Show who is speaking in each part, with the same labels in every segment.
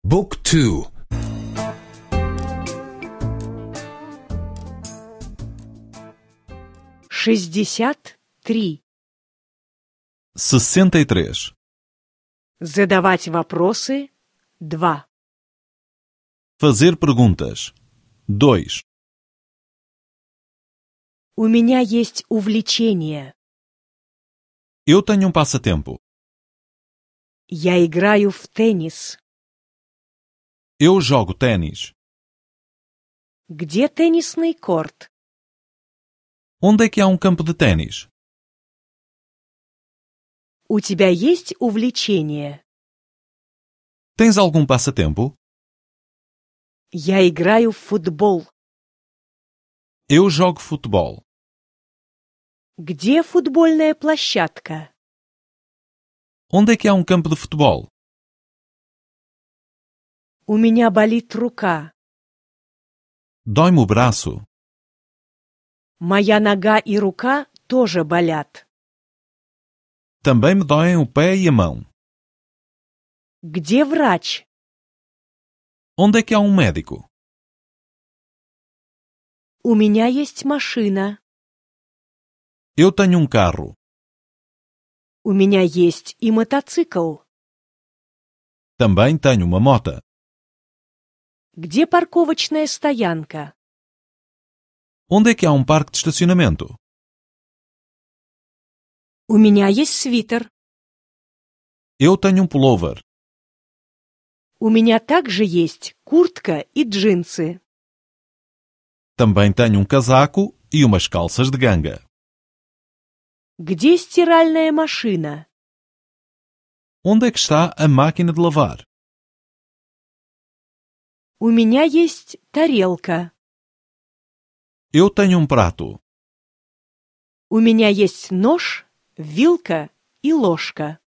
Speaker 1: Book 2.
Speaker 2: 63.
Speaker 3: 63.
Speaker 2: Задавать вопросы 2.
Speaker 3: Fazer perguntas. 2.
Speaker 2: У меня есть увлечение.
Speaker 3: Eu tenho passatempo.
Speaker 2: Я играю в теннис.
Speaker 3: Eu jogo tênis.
Speaker 2: Где теннисный корт?
Speaker 3: Onde é que há campo de tênis?
Speaker 2: У тебя есть увлечение?
Speaker 3: Tens algum passatempo?
Speaker 2: Я играю в футбол.
Speaker 3: Eu jogo futebol.
Speaker 2: Где футбольная площадка?
Speaker 3: Onde é que há campo de futebol?
Speaker 2: У меня болит рука.
Speaker 3: Dói-me o braço.
Speaker 2: Моя нога и рука тоже болят.
Speaker 3: Também me doem o pé e a mão.
Speaker 2: Где врач?
Speaker 3: Onde é que há médico?
Speaker 2: У меня есть машина.
Speaker 3: Eu tenho carro.
Speaker 2: У меня есть и мотоцикл.
Speaker 3: Também tenho uma moto.
Speaker 2: Где парковочная стоянка?
Speaker 3: Onde é que há parque de estacionamento?
Speaker 2: У меня есть свитер.
Speaker 3: Eu tenho pullover.
Speaker 2: У меня также есть куртка и джинсы.
Speaker 3: Também tenho casaco e umas calças de ganga.
Speaker 2: Где стиральная машина?
Speaker 3: Onde é que está a máquina de lavar?
Speaker 2: У меня есть тарелка.
Speaker 3: Eu tenho prato.
Speaker 2: У меня есть нож, вилка и ложка.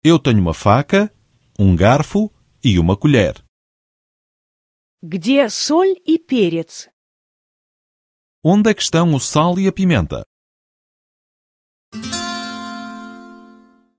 Speaker 3: Eu tenho uma faca, garfo e uma colher.
Speaker 2: Где соль и перец?
Speaker 3: Onde é que estão o sal e a pimenta?